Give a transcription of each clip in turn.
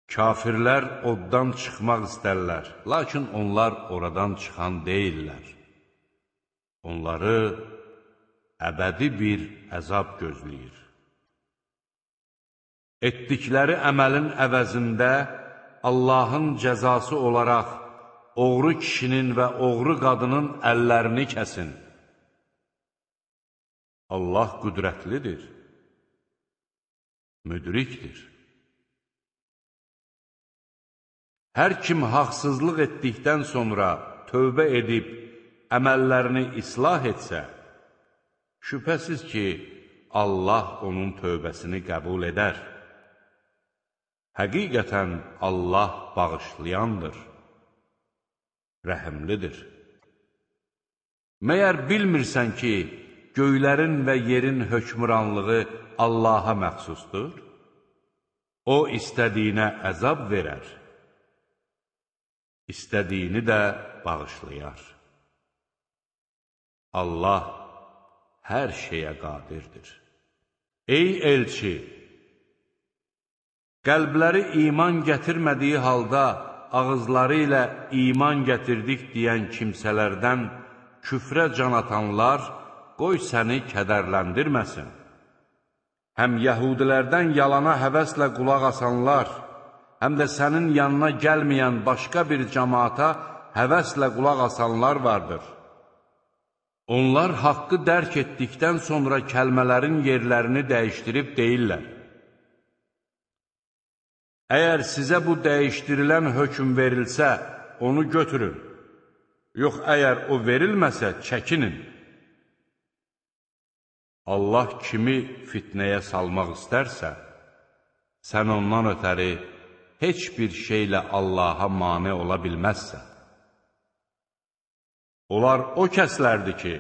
Kafirlər oddan çıxmaq istərlər, lakin onlar oradan çıxan deyirlər. Onları əbədi bir əzab gözləyir. Etdikləri əməlin əvəzində Allahın cəzası olaraq oğru kişinin və oğru qadının əllərini kəsin. Allah qüdrətlidir, müdrikdir. Hər kim haqsızlıq etdikdən sonra tövbə edib əməllərini islah etsə, şübhəsiz ki, Allah onun tövbəsini qəbul edər. Həqiqətən Allah bağışlayandır, rəhimlidir. Məyər bilmirsən ki, göylərin və yerin hökmranlığı Allaha məxsusdur? O, istədiyinə əzab verər, istədiyini də bağışlayar. Allah hər şeyə qadirdir. Ey elçi! Qəlbləri iman gətirmədiyi halda ağızları ilə iman gətirdik deyən kimsələrdən küfrə can atanlar qoy səni kədərləndirməsin. Həm yəhudilərdən yalana həvəslə qulaq asanlar, həm də sənin yanına gəlməyən başqa bir cəmaata həvəslə qulaq asanlar vardır. Onlar haqqı dərk etdikdən sonra kəlmələrin yerlərini dəyişdirib deyirlər. Əgər sizə bu dəyişdirilən hökm verilsə, onu götürün. Yox, əgər o verilməsə, çəkinin. Allah kimi fitnəyə salmaq istərsə, sən ondan ötəri heç bir şeylə Allaha mane ola bilməzsən. Onlar o kəslərdir ki,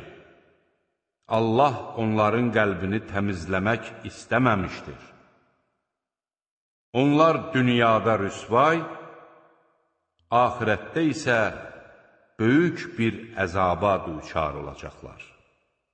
Allah onların qəlbini təmizləmək istəməmişdir. Onlar dünyada rüsvay, axirətdə isə böyük bir əzaba düçar olacaqlar.